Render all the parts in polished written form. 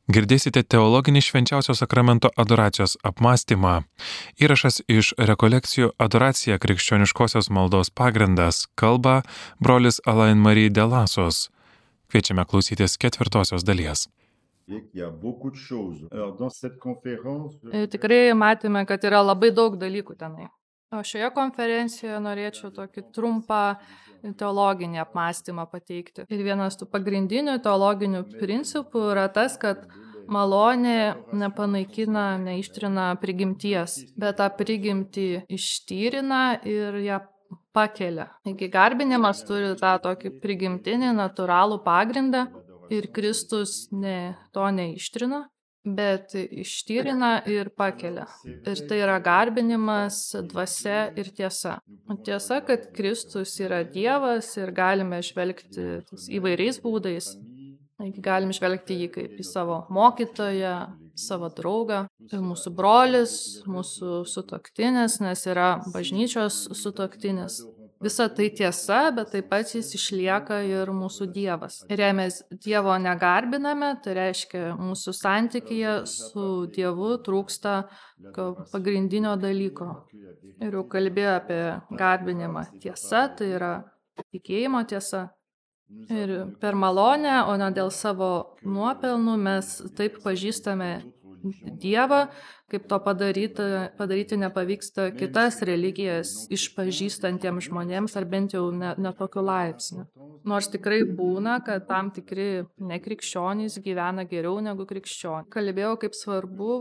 Girdėsite teologinį švenčiausio sakramento adoracijos apmąstymą. Įrašas iš rekolekcijų Adoracija krikščioniškosios maldos pagrindas kalba brolis Alain Marie de Lasos. Kviečiame klausytis 4 dalies. Tikrai matėme, kad yra labai daug dalykų tenai. O šioje konferencijoje norėčiau tokį trumpą teologinį apmąstymą pateikti. Ir vienas tų pagrindinių teologinių principų yra tas, kad malonė nepanaikina, neištrina prigimties, bet tą prigimtį ištyrina ir ją pakelia. Taigi garbinimas turi tą tokį prigimtinį, natūralų pagrindą ir Kristus to neištrina, bet ištyrina ir pakelia. Ir tai yra garbinimas, dvasia ir tiesa. Tiesa, kad Kristus yra Dievas ir galime žvelgti įvairiais būdais. Galim žvelgti jį kaip į savo mokytoją, savo draugą, ir mūsų brolis, mūsų sutuoktinis, nes yra bažnyčios sutuoktinis. Visa tai tiesa, bet taip pat jis išlieka ir mūsų Dievas. Ir jei mes Dievo negarbiname, tai reiškia, mūsų santykyje su Dievu trūksta pagrindinio dalyko. Ir jau kalbėjau apie garbinimą. Tiesa, tai yra tikėjimo tiesa. Ir per malonę, o ne dėl savo nuopelnų, mes taip pažįstame Dievą, kaip to padaryti nepavyksta kitas religijas išpažįstantiems žmonėms, ar bent jau ne tokiu laipsniu. Nors tikrai būna, kad tam tikri nekrikščionys gyvena geriau negu krikščionys. Kalbėjau, kaip svarbu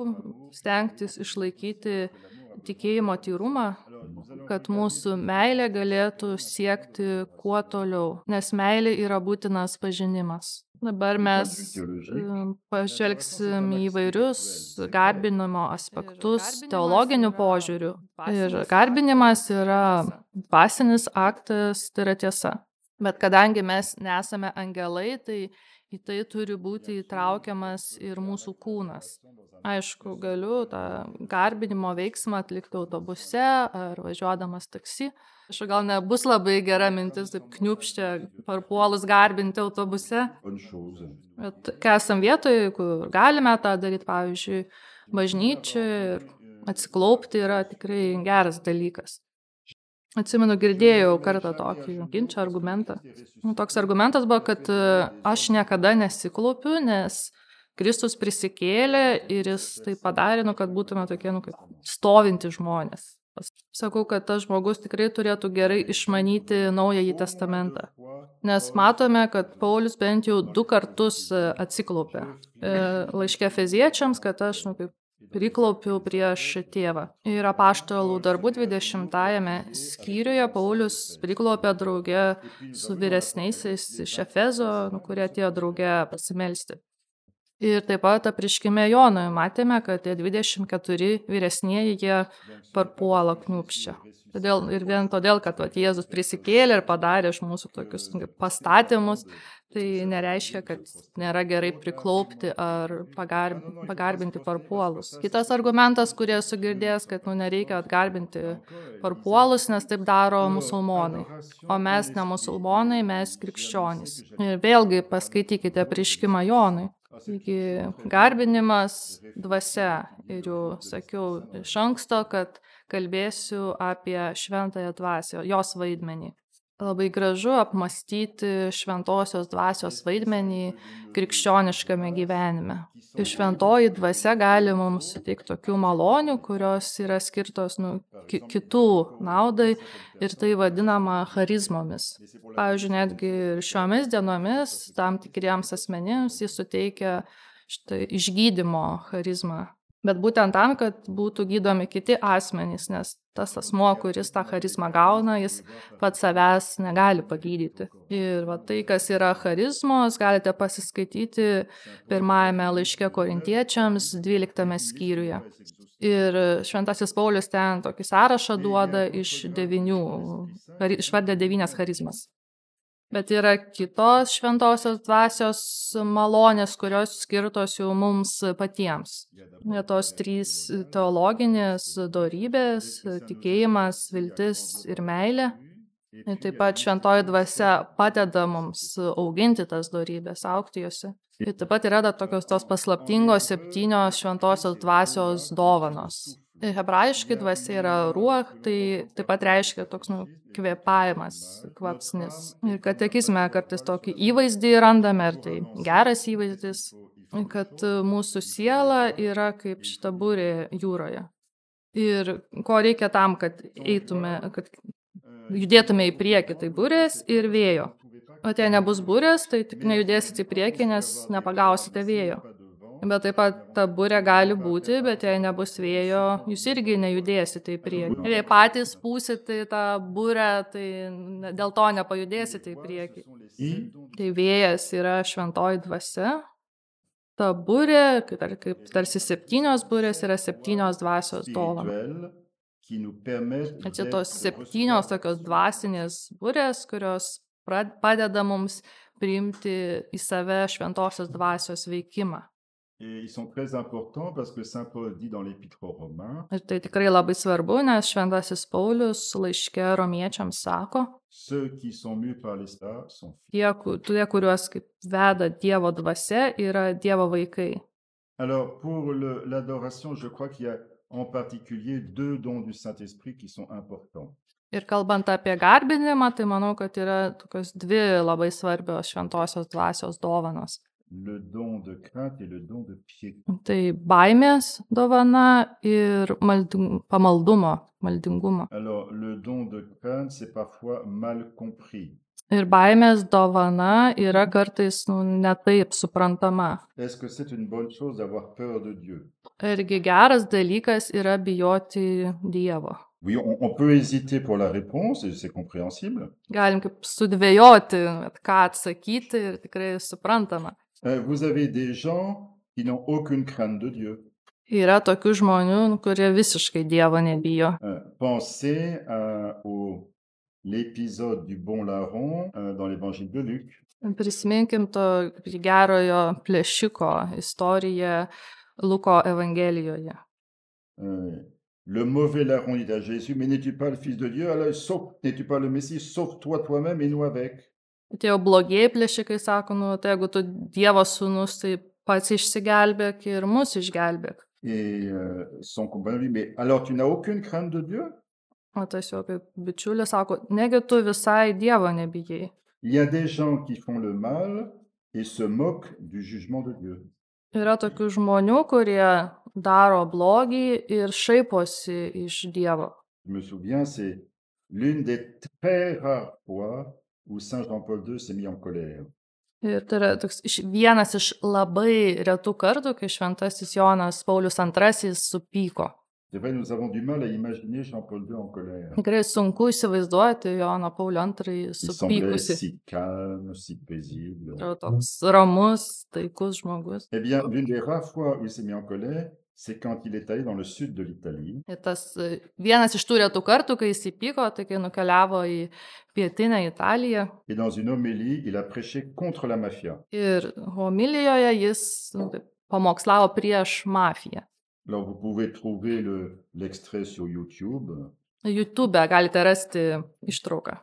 stengtis išlaikyti tikėjimo tyrumą, kad mūsų meilė galėtų siekti kuo toliau, nes meilė yra būtinas pažinimas. Dabar mes pažvelgsim į įvairius garbinimo aspektus teologinių požiūrių. Ir garbinimas yra dvasinis aktas, tai yra tiesa. Bet kadangi mes nesame angelai, tai į tai turi būti įtraukiamas ir mūsų kūnas. Aišku, galiu tą garbinimo veiksmą atlikti autobuse ar važiuodamas taksi. Aišku, gal nebus labai gera mintis taip kniūpščia parpuolus garbinti autobuse. Bet kai esam vietoje, kur galime tą daryti, pavyzdžiui, bažnyčioje, ir atsiklaupti yra tikrai geras dalykas. Atsimenu, girdėjau kartą tokį ginčą argumentą. Toks argumentas buvo, kad aš niekada nesiklaupiu, nes Kristus prisikėlė ir jis tai padarė, kad būtume tokie, kaip stovinti žmonės. Sakau, kad tas žmogus tikrai turėtų gerai išmanyti Naująjį testamentą. Nes matome, kad Paulius bent jau 2 kartus atsiklaupė. Laiške Efeziečiams, kad aš priklaupiau prieš tėvą. Ir Apaštalų darbų 20 skyriuje Paulius priklaupė drauge su vyresniaisiais iš Efezo, kurie atėjo drauge pasimelsti. Ir taip pat apreiškime Jonui matėme, kad tie 24 vyresnieji jie parpuola kniūpščia. Ir vien todėl, kad Jėzus prisikėlė ir padarė iš mūsų tokius pastatymus, tai nereiškia, kad nėra gerai priklaupti ar pagarbinti parpuolus. Kitas argumentas, kurį esu girdėjęs, kad nereikia atgarbinti parpuolus, nes taip daro musulmonai. O mes ne musulmonai, mes krikščionys. Ir vėlgi paskaitykite apreiškimą Jonui. Taigi garbinimas dvasia. Ir jau sakiau iš anksto, kad kalbėsiu apie šventąją dvasią, jos vaidmenį. Labai gražu apmąstyti šventosios dvasios vaidmenį krikščioniškame gyvenime. Ir šventoji dvasia gali mums suteikti tokių malonių, kurios yra skirtos kitų naudai, ir tai vadinama charizmomis. Pavyzdžiui, netgi ir šiomis dienomis tam tikriems asmenims jis suteikia išgydymo charizmą. Bet būtent tam, kad būtų gydomi kiti asmenys, nes tas asmuo, kuris tą charizmą gauna, jis pats savęs negali pagydyti. Ir tai, kas yra charizmos, galite pasiskaityti 1 laiške Korintiečiams 12 skyriuje. Ir šventasis Paulius ten tokį sąrašą duoda išvardė 9 charizmas. Bet yra kitos šventosios dvasios malonės, kurios skirtos jau mums patiems. Tos 3 teologinės dorybės - tikėjimas, viltis ir meilė. Ir taip pat šventoji dvasia padeda mums auginti tas dorybės, augti jose. Ir taip pat yra tokios tos paslaptingos 7 šventosios dvasios dovanos. Ir hebrajiškai dvasia yra ruach, tai taip pat reiškia toks kvėpavimas, kvapsnis. Ir katekizme kartais tokį įvaizdį randame, ir tai geras įvaizdis, kad mūsų siela yra kaip šita burė jūroje. Ir ko reikia tam, kad kad judėtume į priekį, tai burės ir vėjo. O jei nebus burės, tai tik nejudėsite į priekį, nes nepagausite vėjo. Bet taip pat ta burė gali būti, bet jei nebus vėjo, jūs irgi nejudėsite į priekį. Ir jei patys pūsite tą burę, tai dėl to nepajudėsite į priekį. Tai vėjas yra šventoji dvasia. Ta burė, kaip tarsi 7 burės, yra 7 dvasios dovanos. Čia tos 7 tokios dvasinės burės, kurios padeda mums priimti į save šventosios dvasios veikimą. Ir tai tikrai labai svarbu, nes šventasis Paulius laiške romiečiams sako, tie, kuriuos kaip veda Dievo dvasia, yra Dievo vaikai. Alors, pour l'adoration, je crois qu'il y a en particulier 2 dons du Saint-Esprit qui sont importants. Ir kalbant apie garbinimą, tai manau, kad yra tokios 2 labai svarbios šventosios dvasios dovanos. Le don de crainte et le don de piété. Tai baimės dovana ir maldingumo. Alors, le don de crainte, c'est parfois mal compris. Ir baimės dovana yra kartais netaip suprantama. Est-ce que c'est une bonne chose d'avoir peur de Dieu? Irgi geras dalykas yra bijoti Dievo. Oui, on peut hésiter pour la réponse, et c'est compréhensible. Galim kaip sudvejoti, ką atsakyti, ir tikrai suprantama. Vous avez des gens qui n'ont aucune crainte de Dieu. Yra tokių žmonių, kurie visiškai Dievo nebijo. Pensez à l'épisode du bon larron dans l'évangile de Luc. Prisiminkim to gerojo plėšiko istoriją Luko evangelijoje. Le mauvais larron dit à Jésus, mais n'es-tu pas le Fils de Dieu? Alors, n'es-tu pas le Messie? Sauve-toi toi-même et nous avec. Tie jau blogieji plėšikai sako, tai jeigu tu Dievo sūnus, tai pats išsigelbėk ir mus išgelbėk. Et son compagnon dit, mais alors tu n'as aucune crainte de Dieu? O tas jo kaip bičiulis sako, negi tu visai Dievo nebijai. Il y a des gens qui font le mal et se moquent du jugement de Dieu. Yra tokių žmonių, kurie daro blogį ir šaiposi iš Dievo. Je me souviens, c'est l'une des très rares fois où Saint Jean-Paul II s'est mis en colère. Ir tai yra vienas iš labai retų kartų, kai šventasis Jonas Paulius II supyko. C'est vrai, nous avons du mal à imaginer Jean-Paul II en colère. Tikrai sunku įsivaizduoti Joną Paulių II Il semblait supykusi. si calme, si paisible. Toks ramus, taikus žmogus. Eh bien, l'une des rares fois où il s'est mis en colère, c'est quand il est allé dans le sud de l'Italie. Ir tas vienas iš tų retų kartų, kai jis įpyko, tai kai nukeliavo į pietinę Italiją. Et dans une homélie, il a prêché contre la mafia. Ir homilijoje jis pamokslavo prieš mafiją. Alors, vous pouvez trouver l'extrait sur YouTube. YouTube galite rasti ištrauką.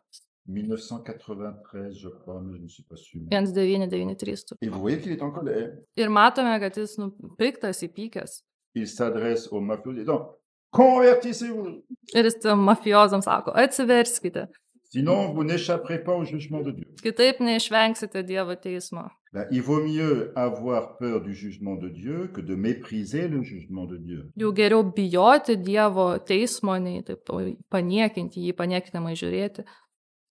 1993, je crois, mais je ne suis pas sûr. 1993. Et vous voyez qu'il est en colère. Ir matome, kad jis piktas, įpykęs. Il s'adresse aux mafieux disant, convertissez-vous, Ir jis tiem mafiozams sako, atsiverskite, sinon vous n'échapperez pas au jugement de Dieu. kitaip neišvengsite Dievo teismo. Ben, il vaut mieux avoir peur du jugement de Dieu que de mépriser le jugement de Dieu. Jau geriau bijoti Dievo teismo, nei taip paniekinti jį, paniekinamai žiūrėti.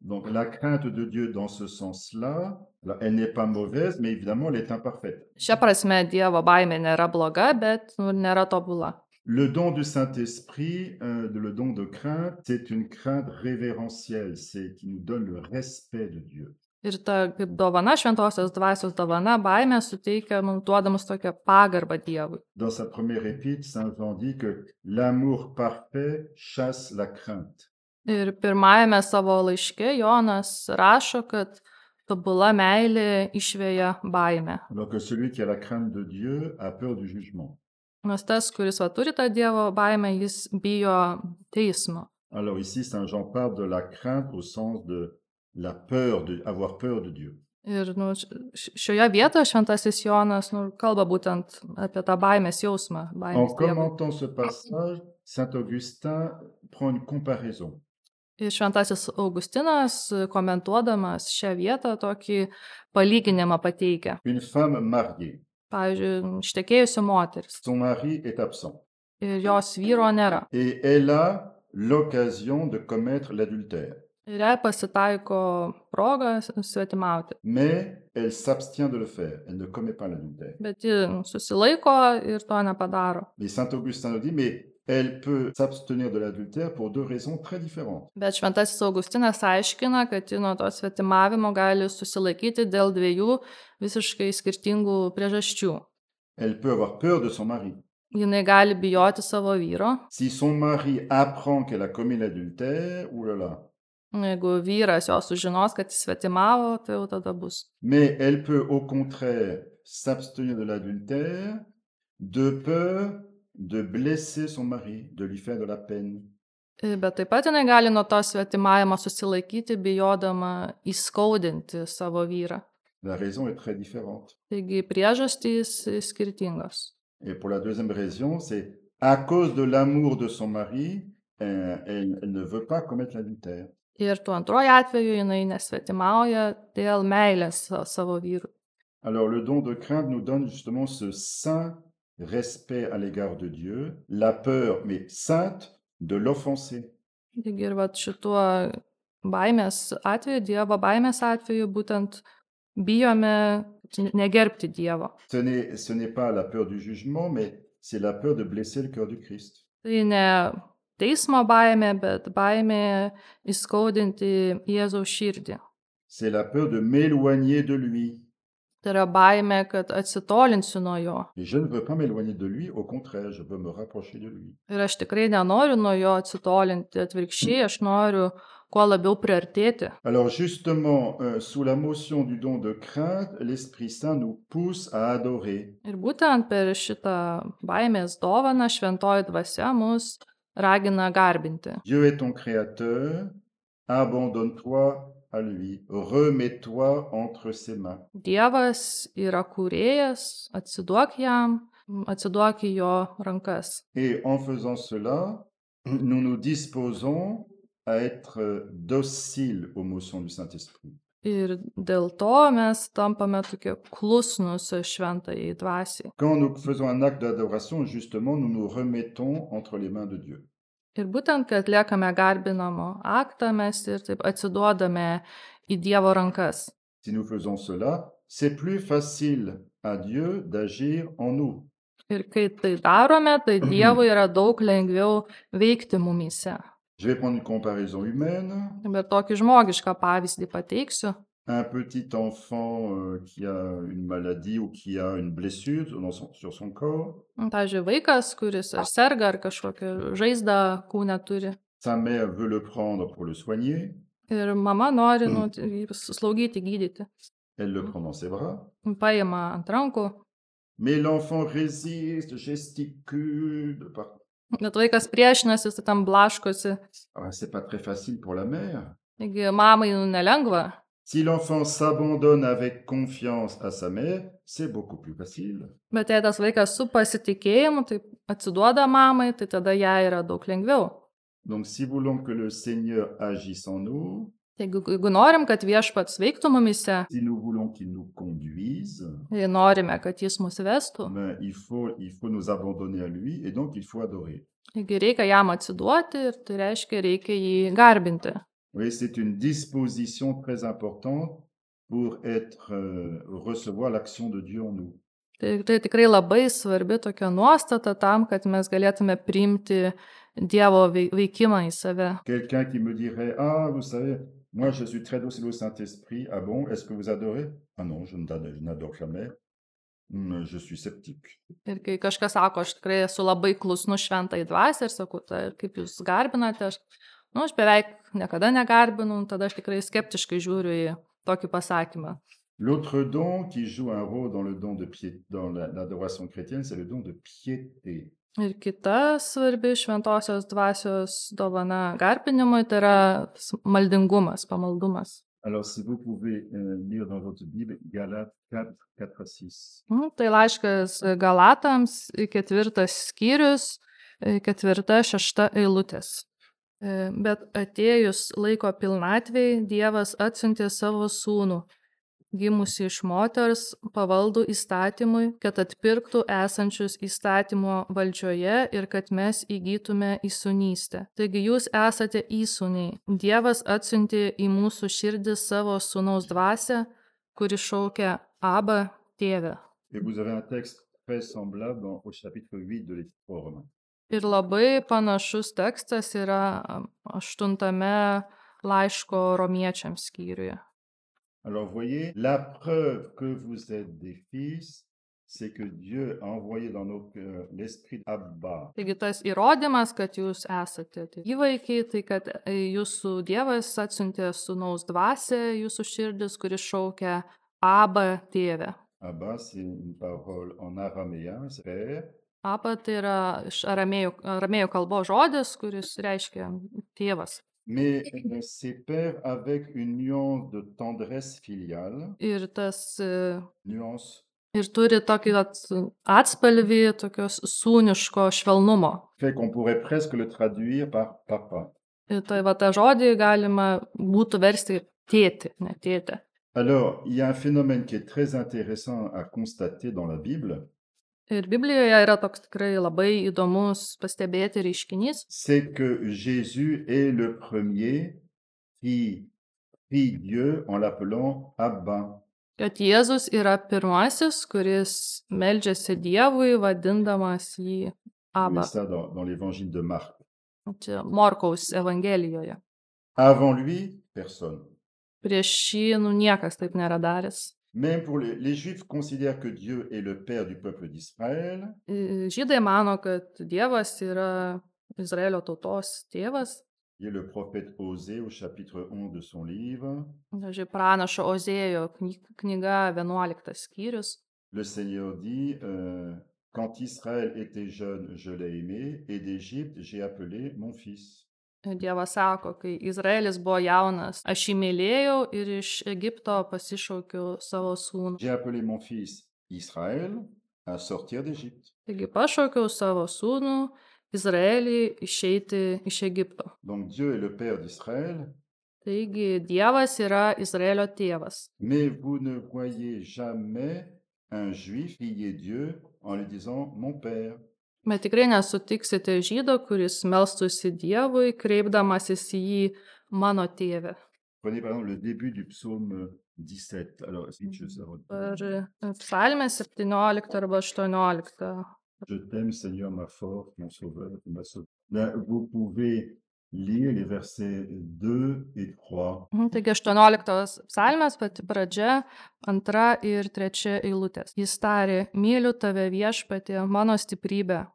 Donc la crainte de Dieu dans ce sens-là, là, elle n'est pas mauvaise, mais évidemment elle est imparfaite. Šia prasme Dievo baimė nėra bloga, bet nėra tobula. Le don du Saint-Esprit, le don de crainte, c'est une crainte révérentielle, c'est qui nous donne le respect de Dieu. Ir ta kaip dovana, šventosios dvasios dovana, baimė suteikia mums duodamus tokią pagarbą Dievui. Dans sa première épître, Saint Jean dit que l'amour parfait chasse la crainte. Ir pirmajame savo laiške Jonas rašo, kad tobula meilė išveja baimę. Alors que celui qui a la crainte de Dieu a peur du jugement. Nes tas, kuris turi tą Dievo baimę, jis bijo teismo. Alors ici, Saint Jean parle de la crainte au sens de la peur, avoir peur de Dieu. Ir šioje vietoje šventasis Jonas kalba būtent apie tą baimės jausmą, En baimės Dievui. commentant ce passage, Saint Augustin prend une comparaison. Ir šventasis Augustinas, komentuodamas šią vietą, tokį palyginimą pateikia. Une femme mariée, Pavyzdžiui, ištekėjusi moteris son mari est absent ir jos vyro nėra. et elle a l'occasion de commettre l'adultère, Ir jai pasitaiko proga svetimauti. mais elle s'abstient de le faire, elle ne commet pas l'adultère. Bet ji susilaiko ir to nepadaro. Mais Saint Augustin nous dit, mais elle peut s'abstenir de l'adultère pour deux raisons très différentes. Bet šventasis Augustinas aiškina, kad ji nuo to svetimavimo gali susilaikyti dėl dviejų visiškai skirtingų priežasčių. Elle peut avoir peur de son mari. Jinai gali bijoti savo vyro. Si son mari apprend qu'elle a commis l'adultère, oulala. Jeigu vyras jo sužinos, kad jis svetimavo, tai jau tada bus. Mais elle peut au contraire s'abstenir de l'adultère de peur de blesser son mari, de lui faire de la peine. Bet taip pat jinai gali nuo to svetimavimo susilaikyti, bijodama įskaudinti savo vyrą. La raison est très différente. Taigi priežastys skirtingos. Et pour la deuxième raison, c'est à cause de l'amour de son mari, elle ne veut pas commettre l'adultère. Ir tuo antroju atveju jinai nesvetimauja dėl meilės savo vyrui. Alors le don de crainte nous donne justement ce saint respect à l'égard de Dieu, la peur, mais sainte, de l'offenser. Taigi ir vat šituo baimės atveju, Dievo baimės atveju, būtent bijome negerbti Dievo. Ce n'est pas la peur du jugement, mais c'est la peur de blesser le cœur du Christ. Tai ne teismo baimė, bet baimė įskaudinti Jėzaus širdį. C'est la peur de m'éloigner de lui. Tai yra baimė, kad atsitolinsiu nuo jo. Et je ne veux pas m'éloigner de lui, au contraire, je veux me rapprocher de lui. Ir aš tikrai nenoriu nuo jo atsitolinti, atvirkščiai, aš noriu kuo labiau priartėti. Alors justement, sous la motion du don de crainte, l'Esprit Saint nous pousse à adorer. Ir būtent per šitą baimės dovaną šventoji dvasia mus ragina garbinti. Dieu est ton créateur, abandonne-toi à lui, remets-toi entre ses mains. Dievas yra kūrėjas, atsiduok jam, atsiduok į jo rankas. Et en faisant cela, nous nous disposons à être dociles aux motions du Saint-Esprit. Ir dėl to mes tampame tokie klusnus šventajai dvasiai. Quand nous faisons un acte d'adoration, justement, nous nous remettons entre les mains de Dieu. Ir būtent, kai atliekame garbinamo aktą, mes ir taip atsiduodame į Dievo rankas. Si nous faisons cela, c'est plus facile à Dieu d'agir en nous. Ir kai tai darome, tai Dievui yra daug lengviau veikti mumyse. Je vais prendre une comparaison humaine. Bet tokį žmogišką pavyzdį pateiksiu. Un petit enfant qui a une maladie ou qui a une blessure sur son corps. Pavyzdžiui, vaikas, kuris ar serga, ar kažkokią žaizdą kūne turi. Sa mère veut le prendre pour le soigner. Ir mama nori jį slaugyti, gydyti. Elle le prend dans ses bras. Paima ant rankų. Mais l'enfant résiste, gesticule de partout. Bet vaikas priešinasi, jis tam blaškosi. C'est pas très facile pour la mère. Taigi mamai nelengva. Si l'enfant s'abandonne avec confiance à sa mère, c'est beaucoup plus facile. Bet jei tas vaikas su pasitikėjimu, tai atsiduoda mamai, tai tada jai yra daug lengviau. Donc si nous voulons que le Seigneur agisse en nous, Jeigu norim, kad viešpats veiktų mumyse, si nous voulons qu'il nous conduise, jei norime, kad jis mus vestų, il faut nous abandonner à lui et donc il faut adorer. taigi reikia jam atsiduoti ir tai reiškia, reikia jį garbinti. Oui, c'est une disposition très importante pour recevoir l'action de Dieu en nous. Tai tikrai labai svarbi tokia nuostata tam, kad mes galėtume priimti Dievo veikimą į save. Quelqu'un qui me dirait, ah, vous savez, moi je suis très docile au Saint-Esprit, ah bon, est-ce que vous adorez? Ah non, je n'adore jamais, je suis sceptique. Ir kai kažkas sako, aš tikrai esu labai klusnus šventai dvasiai ir sakau, tai kaip jūs garbinate, aš beveik niekada negarbinu, tada aš tikrai skeptiškai žiūriu į tokį pasakymą. L'autre don qui joue un rôle dans le don de dans l'adoration chrétienne, c'est le don de piété. Ir kita svarbi šventosios dvasios dovana garbinimui, tai yra maldingumas, pamaldumas. Alors, si vous pouvez lire dans votre Bible, Galates 4, 4 à 6. Tai laiškas Galatams, 4 skyrius, 4-6 eilutės. Bet atėjus laiko pilnatvei, Dievas atsiuntė savo sūnų, gimusi iš moters, pavaldų įstatymui, kad atpirktų esančius įstatymo valdžioje ir kad mes įgytume įsūnystę. Taigi jūs esate įsūniai. Dievas atsiuntė į mūsų širdį savo sūnaus dvasią, kuri šaukia Abba, tėve. Et vous avez un texte très semblable au chapitre 8 de l'Épître. Ir labai panašus tekstas yra 8 laiško romiečiams skyriuje. Alors, vous voyez, la preuve que vous êtes des fils, c'est que Dieu a envoyé dans nos cœurs l'esprit Abba. Taigi tas įrodymas, kad jūs esate įvaikiai, tai kad jūsų Dievas atsiuntė sūnaus dvasią jūsų širdis, kuris šaukia Abba, tėve. Abba, c'est une parole en araméen, c'est père. Abba tai yra iš aramėjų kalbos žodis, kuris reiškia tėvas. Mais c'est père avec une nuance de tendresse filiale. Ir tas Nuance. ir turi tokį atspalvį tokios sūniško švelnumo. Fait qu'on pourrait presque le traduire par papa. Ir tai tą žodį galima būtų versti tėti, ne tėtė. Alors, il y a un phénomène qui est très intéressant à constater dans la Bible. Ir Biblijoje yra toks tikrai labai įdomus pastebėti reiškinys. C'est que Jésus est le premier qui prie Dieu en l'appelant Abba. Kad Jėzus yra pirmasis, kuris meldžiasi Dievui, vadindamas jį Abba. Ça dans l'évangile de Marc. Čia Morkaus evangelijoje. Avant lui, personne. Prieš jį niekas taip nėra daręs. Même pour les Juifs considèrent que Dieu est le père du peuple d'Israël. Žydai mano, kad Dievas yra Izraelio tautos tėvas. Il y a le prophète Osée au chapitre 11 de son livre. Pranašo Ozėjo knyga 11 skyrius. Le Seigneur dit, quand Israël était jeune, je l'ai aimé, et d'Égypte, j'ai appelé mon fils. Dievas sako, kai Izraelis buvo jaunas, aš jį mylėjau ir iš Egipto pasišaukiau savo sūnų. J'ai appelé mon fils Israël à sortir d'Égypte. Taigi pašaukiau savo sūnų Izraelį išeiti iš Egipto. Donc Dieu est le père d'Israël. Taigi Dievas yra Izraelio tėvas. Mais vous ne voyez jamais un juif prier Dieu en lui disant mon père. Bet tikrai nesutiksite žydo, kuris melstųsi Dievui, kreipdamasis į jį mano tėve. Prenez par exemple le début du psaume 17. Alors, Per psalmę 17 arba 18. Je t'aime, Seigneur, ma force, mon sauveur, ma sauveur. Là, vous pouvez lire les versets 2 et 3. Taigi 18 psalmės pati pradžia, 2 ir 3 eilutės. Jis tarė, myliu tave viešpatie, mano stiprybė,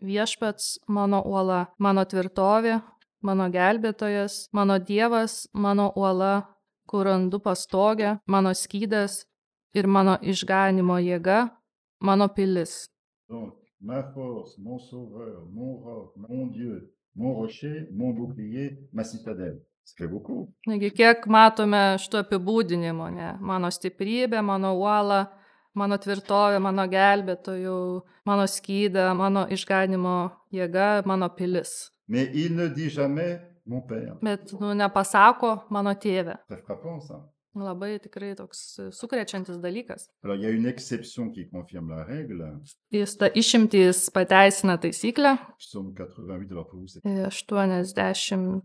viešpats mano uola, mano tvirtovė, mano gelbėtojas, mano Dievas, mano uola, kur randu pastogę, mano skydas ir mano išganimo jėga, mano pilis. Donc, ma force, mon sauveur, mon roc, mon Dieu, mon rocher, mon bouclier, ma citadelle. Ça fait beaucoup. Taigi, kiek matome šito apibūdinimo, ne? Mano stiprybė, mano uola, mano tvirtovė, mano gelbėtojų, mano skyda, mano išganimo jėga, mano pilis. Mais il ne dit jamais mon père. Bet nepasako mano tėvė. Très frappant, ça. Labai tikrai toks sukrečiantis dalykas. Alors, il y a une exception qui confirme la règle. Jis ta išimtis pateisina taisyklę. Psaume 88, alors pour vous, c'est 89.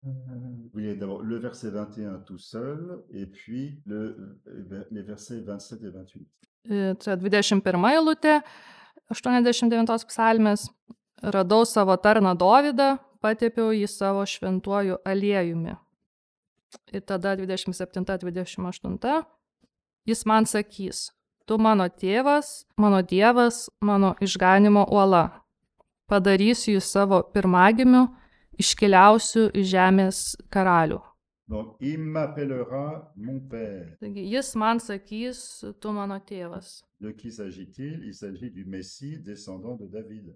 Vous voyez d'abord le verset 21 tout seul, et puis les versets 27 et 28. Tai 21 eilutė, 89 psalmės. Radau savo tarną Dovydą, patepiau jį savo šventuoju aliejumi. Ir tada 27-28. Jis man sakys, tu mano tėvas, mano Dievas, mano išganimo uola. Padarysiu jį savo pirmagimiu, iškiliausiu iš žemės karalių. Donc, il m'appellera mon père. Taigi jis man sakys, tu mano tėvas. De qui s'agit-il? Il s'agit du Messie descendant de David.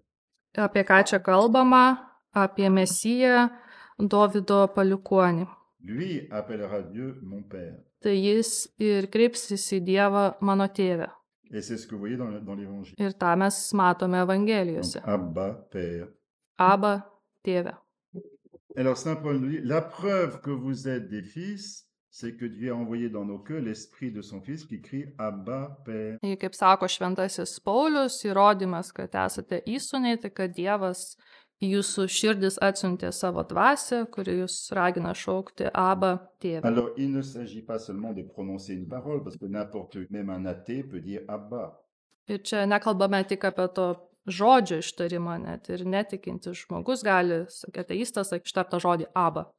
Apie ką čia kalbama? Apie Mesiją, Dovydo palikuonį. Lui appellera Dieu mon père. Tai jis ir kreipsis į Dievą mano tėvę. Et c'est ce que vous voyez dans l'évangile. Ir tą mes matome Donc, Evangelijose. Abba, père. Aba, tėvė. Alors, Saint Paul nous dit, la preuve que vous êtes des fils, c'est que Dieu a envoyé dans nos cœurs l'esprit de son fils qui crie Abba, père. Ir kaip sako šventasis Paulius, įrodymas, kad esate įsūniai, tai kad Dievas į jūsų širdis atsiuntė savo dvasią, kuri jūs ragina šaukti Aba, tėvė. Alors, il ne s'agit pas seulement de prononcer une parole, parce que n'importe, même un athée peut dire Abba. Ir čia nekalbame tik apie to žodžio ištarimą, net ir netikintis žmogus gali, ateistas, ištartą žodį Aba.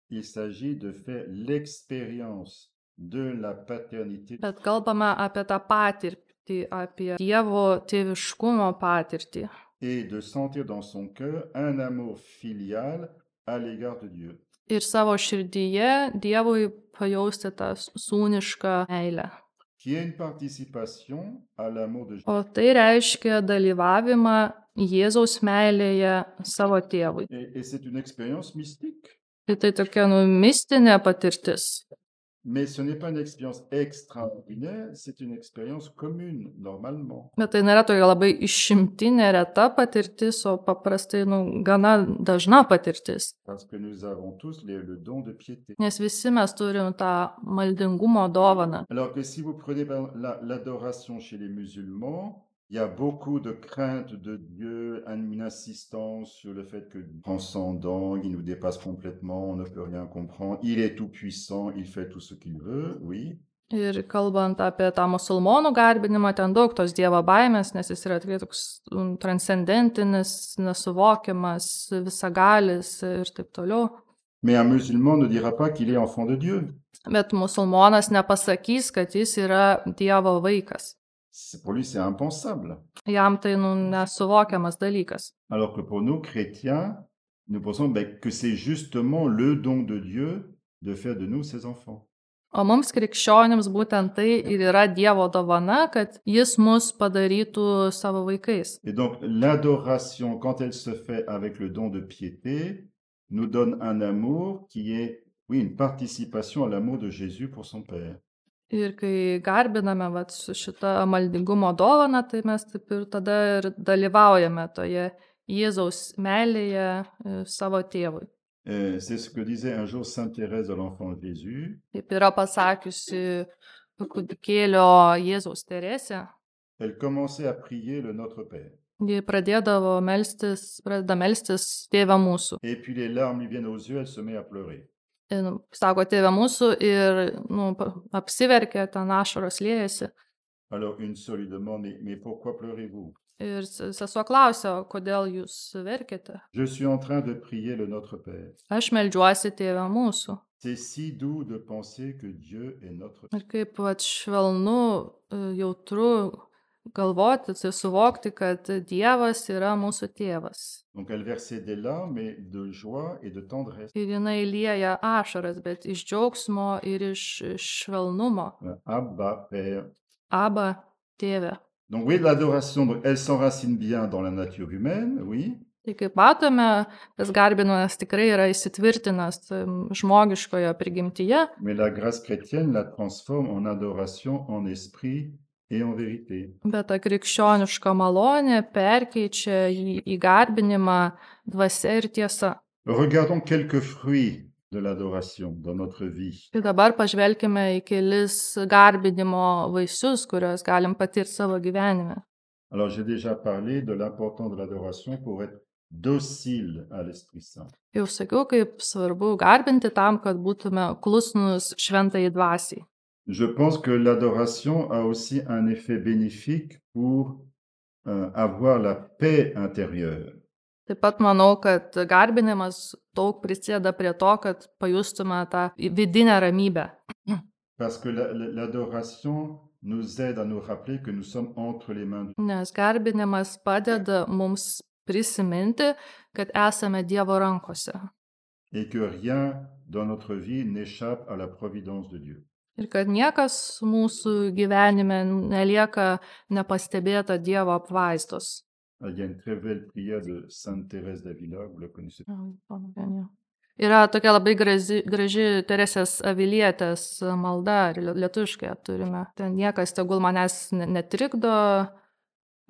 Il s'agit de faire l'expérience de la paternité Bet kalbame apie tą patirtį, apie Dievo tėviškumo patirtį. et de sentir dans son cœur un amour filial à l'égard de Dieu. Ir savo širdyje Dievui pajausti tą sūnišką meilę. Qui est une participation à l'amour de Jésus. O tai reiškia dalyvavimą Jėzaus meilėje savo tėvui. Et c'est une expérience mystique. Ir tai tokia mistinė patirtis. Mais ce n'est pas une expérience extraordinaire, c'est une expérience commune, normalement. Bet tai nėra tokia labai išimtinė reta patirtis, o paprastai gana dažna patirtis. Parce que nous avons tous le don de piété. Nes visi mes turim tą maldingumo dovaną. Alors que si vous prenez l'adoration chez les musulmans, il y a beaucoup de crainte de Dieu, une insistance sur le fait que transcendant, il nous dépasse complètement, on ne peut rien comprendre, il est tout puissant, il fait tout ce qu'il veut, oui. Ir kalbant apie tą musulmonų garbinimą, ten daug tos Dievo baimės, nes jis yra tikrai toks transcendentinis, nesuvokiamas, visagalis ir taip toliau. Mais un musulman ne dira pas qu'il est enfant de Dieu. Bet musulmonas nepasakys, kad jis yra Dievo vaikas. Pour lui, c'est impensable. Jam tai nesuvokiamas dalykas. Alors que pour nous, chrétiens, nous pensons que c'est justement le don de Dieu de faire de nous ses enfants. O mums krikščionims būtent tai ir yra Dievo dovana, kad jis mus padarytų savo vaikais. Et donc, l'adoration, quand elle se fait avec le don de piété, nous donne un amour qui est, oui, une participation à l'amour de Jésus pour son Père. Ir kai garbiname su šitą maldingumo dovaną, tai mes taip ir tada ir dalyvaujame toje Jėzaus meilėje savo tėvui. C'est ce que disait un jour Sainte Thérèse de l'Enfant Jésus. Taip yra pasakiusi kūdikėlio Jėzaus Teresė. Elle commençait à prier le Notre Père. Ji pradeda melstis Tėve mūsų. Et puis les larmes lui viennent aux yeux, elle se met à pleurer. Sako Tėve mūsų ir apsiverkia, ten ašaros liejasi. Alors une sœur lui demande, mais pourquoi pleurez-vous? Ir sesuo klausia, kodėl jūs verkiate? Je suis en train de prier le Notre Père. Aš meldžiuosi Tėve mūsų. C'est si doux de penser que Dieu est notre Père. Ir kaip švelnu, jautru galvoti, tai suvokti, kad Dievas yra mūsų tėvas. Donc elle versait des larmes de joie et de tendresse. Ir jinai lieja ašaras, bet iš džiaugsmo ir iš švelnumo. Abba, Père. Aba, tėve. Donc oui, l'adoration, elle s'enracine bien dans la nature humaine, oui. Tai kaip matome, tas garbinimas tikrai yra įsitvirtinęs žmogiškoje prigimtyje. Mais la grâce chrétienne la transforme en adoration en esprit et en vérité. Bet ta krikščioniška malonė perkeičia į garbinimą dvasia ir tiesa. Regardons quelques fruits de l'adoration dans notre vie. Ir dabar pažvelkime į kelis garbinimo vaisius, kuriuos galim patirti savo gyvenime. Alors j'ai déjà parlé de l'importance de l'adoration pour être docile à l'Esprit Saint. Jau sakiau, kaip svarbu garbinti tam, kad būtume klusnus šventajai dvasiai. Je pense que l'adoration a aussi un effet bénéfique pour avoir la paix intérieure. Taip pat manau, kad garbinimas daug prisideda prie to, kad pajustume tą vidinę ramybę. Parce que l'adoration nous aide à nous rappeler que nous sommes entre les mains de Dieu. Nes garbinimas padeda mums prisiminti, kad esame Dievo rankose. et que rien dans notre vie n'échappe à la providence de Dieu. Ir kad niekas mūsų gyvenime nelieka nepastebėta Dievo apvaizdos. Il y a une très belle prière de Sainte Thérèse d'Avila, vous la connaissez. Yra tokia labai graži Teresės Avilietės malda, ir lietuviškai ją turime. Ten niekas tegul manęs netrikdo,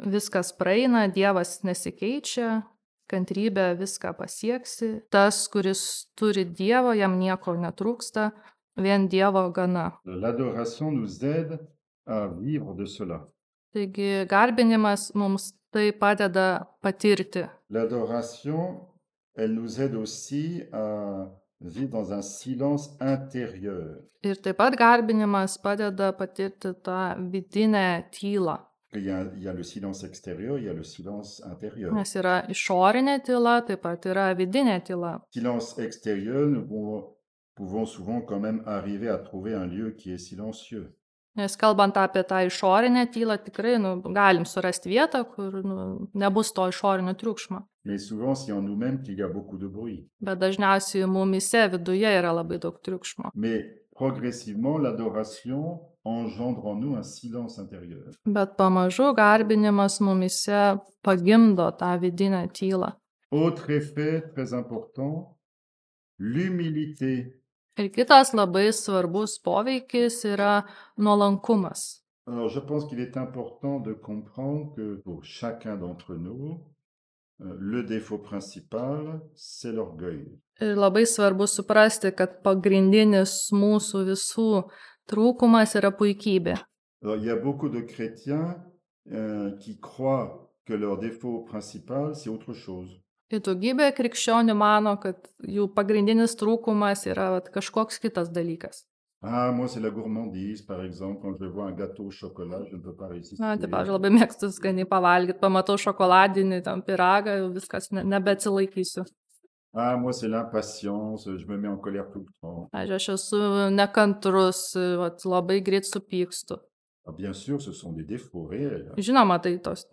viskas praeina, Dievas nesikeičia, kantrybė viską pasieksi. Tas, kuris turi Dievo, jam nieko netrūksta, vien Dievo gana. L'adoration nous aide à vivre de cela. Taigi garbinimas mums tai padeda patirti. L'adoration, elle nous aide aussi à vivre dans un silence intérieur. Ir taip pat garbinimas padeda patirti tą vidinę tylą. Il y a le silence extérieur, il y a le silence intérieur. Nes yra išorinė tyla, taip pat yra vidinė tyla. Silence extérieur, nous pouvons souvent quand même arriver à trouver un lieu qui est silencieux. Nes kalbant apie tą išorinę tylą, tikrai galim surasti vietą, kur nebus to išorinio triukšmo. Mais souvent, c'est en nous-mêmes qu'il y a beaucoup de bruit. Bet dažniausiai mumise viduje yra labai daug triukšmo. Mais progressivement, l'adoration engendre en nous un silence intérieur. Bet pamažu garbinimas mumise pagimdo tą vidinę tylą. Autre effet très important, l'humilité. Ir kitas labai svarbus poveikis yra nuolankumas. Alors, je pense qu'il est important de comprendre que pour chacun d'entre nous, le défaut principal, c'est l'orgueil. Ir labai svarbu suprasti, kad pagrindinis mūsų visų trūkumas yra puikybė. Alors, il y a beaucoup de chrétiens qui croient que leur défaut principal, c'est autre chose. Ir daugybė krikščionių mano, kad jų pagrindinis trūkumas yra kažkoks kitas dalykas. Ah, moi, c'est la gourmandise, par exemple. Quand je vois un gâteau au chocolat, je ne peux pas résister. Taip, aš labai mėgstu skaniai pavalgyti, pamatau šokoladinį tam pyragą, jau viskas nebeatsilaikysiu. Ah, moi, c'est l'impatience, je me mets en colère tout le temps. Aš esu nekantrus, labai greit supykstu. Ah, bien sûr, ce sont des défauts réels. Žinoma, tai tos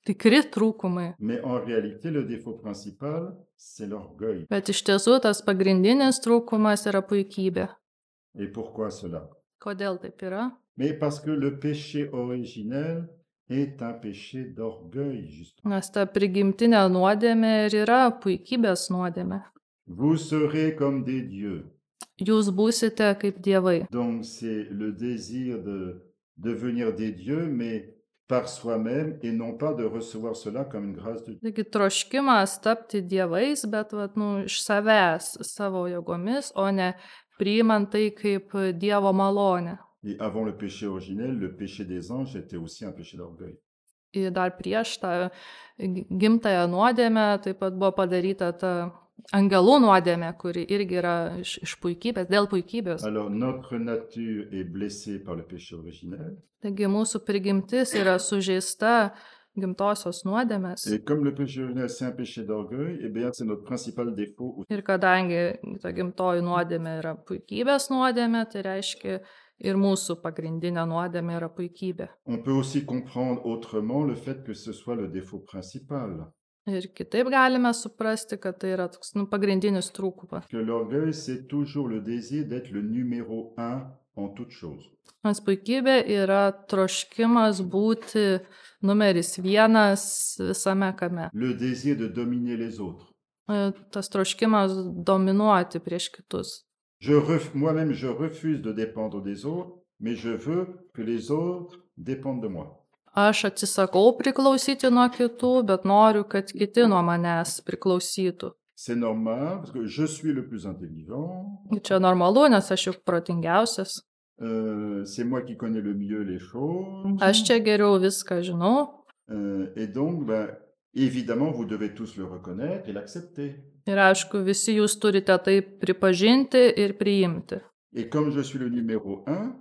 tikri trūkumai. Mais en réalité, le défaut principal, c'est l'orgueil. Bet iš tiesų tas pagrindinis trūkumas yra puikybė. Et pourquoi cela? Kodėl taip yra? Mais parce que le péché originel est un péché d'orgueil, justement. Nes ta prigimtinė nuodėmė ir yra puikybės nuodėmė. Vous serez comme des dieux. Jūs būsite kaip dievai. Donc, c'est le désir de devenir des dieux, mais par soi-même, et non pas de recevoir cela comme une grâce de Dieu. Taigi troškimas tapti dievais, bet iš savęs, savo jėgomis, o ne priimant tai kaip Dievo malonę. Et avant le péché originel, le péché des anges était aussi un péché d'orgueil. Ir dar prieš tą gimtąją nuodėmę taip pat buvo padaryta ta angelų nuodėmė, kuri irgi yra iš puikybės, dėl puikybės. Alors, notre nature est blessée par le péché originel. Taigi mūsų prigimtis yra sužeista gimtosios nuodėmės. Et comme le péché originel, c'est un péché d'orgueil, eh bien, c'est notre principal défaut. Ir kadangi ta gimtoji nuodėmė yra puikybės nuodėmė, tai reiškia ir mūsų pagrindinė nuodėmė yra puikybė. On peut aussi comprendre autrement le fait que ce soit le défaut principal. Ir kitaip galime suprasti, kad tai yra toks pagrindinis trūkumas. Que l'orgueil, c'est toujours le désir d'être le numéro 1 en toute chose. Nes puikybė yra troškimas būti numeris 1 visame kame. Le désir de dominer les autres. Tas troškimas dominuoti prieš kitus. Moi-même, je refuse de dépendre des autres, mais je veux que les autres dépendent de moi. Aš atsisakau priklausyti nuo kitų, bet noriu, kad kiti nuo manęs priklausytų. C'est normal, parce que je suis le plus intelligent. Čia normalu, nes aš juk protingiausias. C'est moi qui connais le mieux les choses. Aš čia geriau viską žinau. Et donc, évidemment, vous devez tous le reconnaître et l'accepter. Ir aišku, visi jūs turite tai pripažinti ir priimti. Et comme je suis le numéro 1,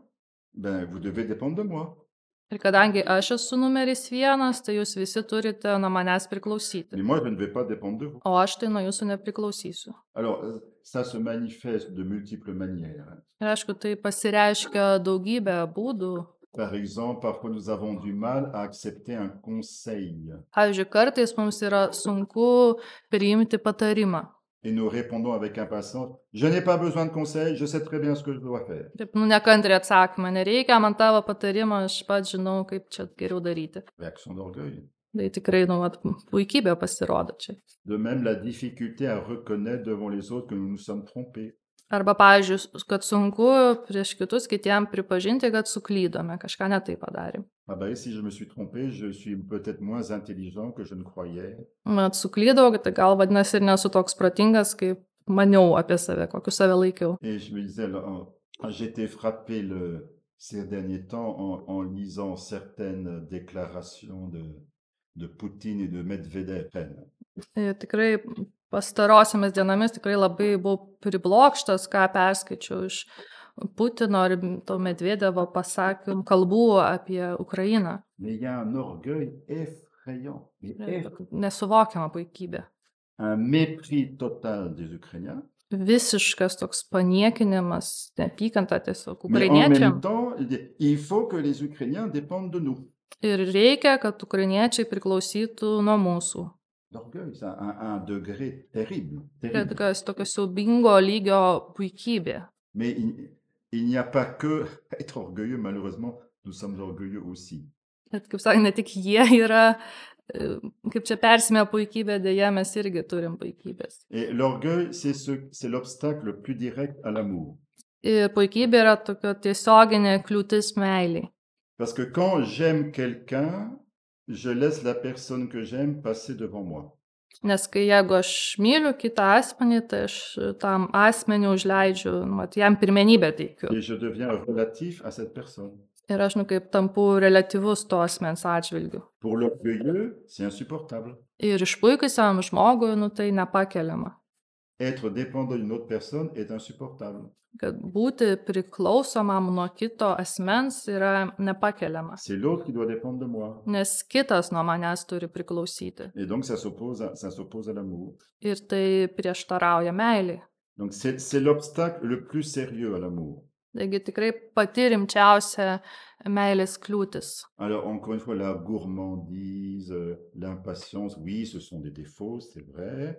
vous devez dépendre de moi. Ir kadangi aš esu numeris 1, tai jūs visi turite nuo manęs priklausyti. Mais moi, je ne vais pas dépendre de vous. O aš tai nuo jūsų nepriklausysiu. Alors, ça se manifeste de multiples manières. Ir aišku, tai pasireiškia daugybę būdų. Par exemple, parfois nous avons du mal à accepter un conseil. Pavyzdžiui, kartais mums yra sunku priimti patarimą. et nous répondons avec impatience, je n'ai pas besoin de conseils, je sais très bien ce que je dois faire. Taip, nekantriai atsakymą, nereikia man tavo patarimo, aš pats žinau, kaip čia geriau daryti. Réaction d'orgueil. Tai tikrai, puikybė pasirodo čia. De même, la difficulté à reconnaître devant les autres que nous nous sommes trompés. Arba, pavyzdžiui, kad sunku prieš kitus kitiem pripažinti, kad suklydome, kažką ne taip padarėm. Ah ben, si je me suis trompé, je suis peut-être moins intelligent que je ne croyais. Mat suklydau, tai gal vadinasi ir nesu toks protingas, kaip maniau apie save, kokiu save laikiau. Et je me disais, alors, j'ai été frappé ces derniers temps en lisant certaines déclarations de Poutine et de Medvedev. Ir tikrai pastarosiamis dienomis tikrai labai buvau priblokštas, ką perskaičiau iš Putino ir to Medvedevo pasakymų kalbų apie Ukrainą. Mais il y a un orgueil effrayant, Nesuvokiama puikybė. un mépris total des Ukrainiens. Visiškas toks paniekinimas, neapykanta tiesiog Mais en même ukrainiečiam. temps, il faut que les Ukrainiens dépendent de nous. Ir reikia, kad ukrainiečiai priklausytų nuo mūsų. L'orgueil, c'est un degré terrible. Tai terrible. tokio siaubingo lygio puikybė. Mais il n'y a pas que être orgueilleux, malheureusement, nous sommes orgueilleux aussi. Bet, kaip sakė, ne tik jie yra, kaip čia persimė puikybė, dėja mes irgi turim puikybės. Et l'orgueil, c'est l'obstacle le plus direct à l'amour. Ir puikybė yra tokio tiesioginė kliūtis meiliai. Parce que quand j'aime quelqu'un, je laisse la personne que j'aime passer devant moi. Nes kai jeigu aš myliu kitą asmenį, tai aš tam asmeniu užleidžiu, jam pirmenybę teikiu. Et je deviens relatif à cette personne. Ir aš kaip tampu relatyvus to asmens atžvilgiu. Pour l'orgueilleux, c'est insupportable. Ir išpuikusiam žmogui, tai nepakeliama. Être dépendant d'une autre personne est insupportable. Kad būti priklausomam nuo kito asmens yra nepakeliama. C'est l'autre qui doit dépendre de moi. Nes kitas nuo manęs turi priklausyti. Et donc, ça s'oppose à l'amour. Ir tai prieštarauja meiliai. Donc, c'est l'obstacle le plus sérieux à l'amour. Taigi tikrai pati rimčiausia meilės kliūtis. Alors, encore une fois, la gourmandise, l'impatience, oui, ce sont des défauts, c'est vrai.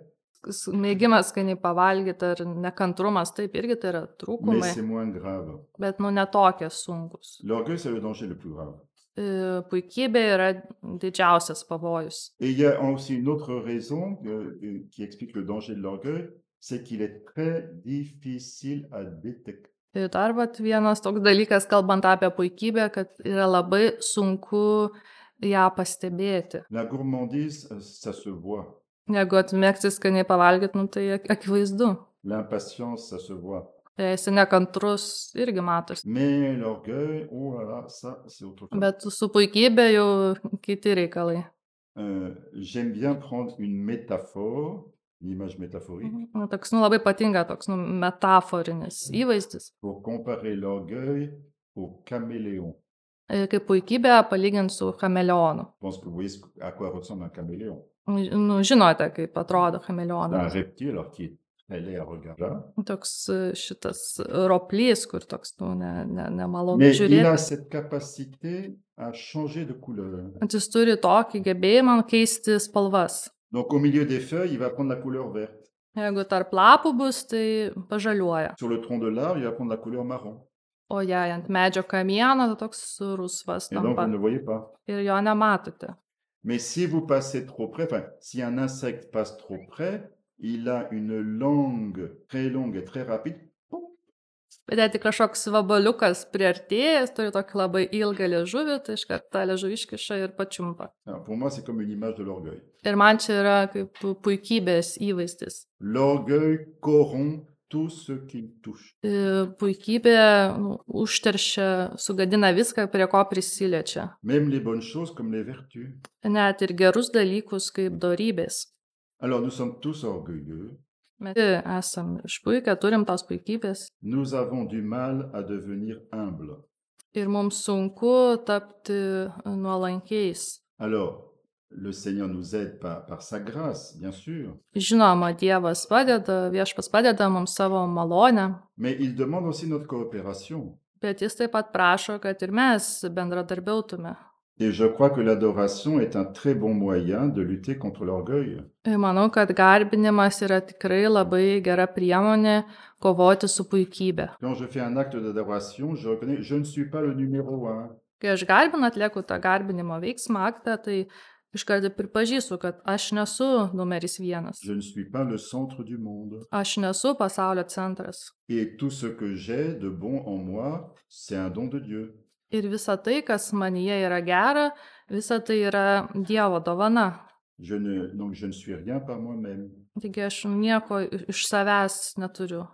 Mėgimas skaniai pavalgyti ar nekantrumas, taip irgi tai yra Mais trūkumai, c'est moins grave. bet netokie sunkus. L'orgueil, c'est le danger le plus grave. Puikybė yra didžiausias pavojus. Et il y a aussi une autre raison qui explique le danger de l'orgueil, c'est qu'il est très difficile à détecter. Ir dar vienas toks dalykas, kalbant apie puikybę, kad yra labai sunku ją pastebėti. La gourmandise, ça se voit. Jeigu atmėgsi skaniai pavalgyti, tai akivaizdu. L'impatience, ça se voit. Jei esi nekantrus, irgi matosi. Mais l'orgueil, oh là là, ça, c'est autre chose. Bet su puikybė jau kiti reikalai. J'aime bien prendre une métaphore, une image métaphorique, Toks, labai patinka toks, metaforinis įvaizdis. pour comparer l'orgueil au caméléon. Kaip puikybė palyginti su chameleonu. Je pense que vous voyez à quoi ressemble un caméléon. Žinote, kaip atrodo C'est un chameleonas. reptile, alors qui est très laid à regarder. Toks šitas roplys, kur toks, nemalonu Mais il žiūrėti. a cette capacité à changer de couleur. Jis turi tokį gebėjimą keisti spalvas. Donc au milieu des feuilles, il va prendre la couleur verte. Jeigu tarp lapų bus, tai pažaliuoja. Sur le tronc de l'arbre, il va prendre la couleur marron. O jei ant medžio kamieno, tai toks rusvas Et donc vous tampa. ne le voyez pas. Ir jo nematote. Mais si vous passez trop près, enfin, si un insecte passe trop près, il a une langue très longue et très rapide. Bet jei tik kažkoks vabaliukas priartėjęs, turi tokį labai ilgą liežuvį, tai iškart tą liežuvį iškiša ir pačiumpa. Alors, pour moi, c'est comme une image de l'orgueil. Ir man čia yra kaip puikybės įvaizdis. L'orgueil corrompt tout ce qu'il touche. Puikybė užteršia, sugadina viską, prie ko prisiliečia. Même les bonnes choses comme les vertus. Net ir gerus dalykus kaip dorybės. Alors, nous sommes tous orgueilleux. Mes esam išpuikę, turim tos puikybės. Nous avons du mal à devenir humbles. Ir mums sunku tapti nuolankiais. Alors, le Seigneur nous aide par sa grâce, bien sûr. Žinoma, Dievas padeda, Viešpats padeda mums savo malonę, Mais il demande aussi notre coopération. bet jis taip pat prašo, kad ir mes bendradarbiautume. Et je crois que l'adoration est un très bon moyen de lutter contre l'orgueil. Ir manau, kad garbinimas yra tikrai labai gera priemonė kovoti su puikybė. Quand je fais un acte d'adoration, je reconnais, je ne suis pas le numéro un. Kai aš garbinu atlieku tą garbinimo veiksmą aktą, tai iškart pripažįstu, kad aš nesu numeris 1. Je ne suis pas le centre du monde. Aš nesu pasaulio centras. Et tout ce que j'ai de bon en moi, c'est un don de Dieu. Ir visa tai, kas manyje yra gera, visa tai yra Dievo dovana. Donc je ne suis rien par moi-même. Taigi aš nieko iš savęs neturiu.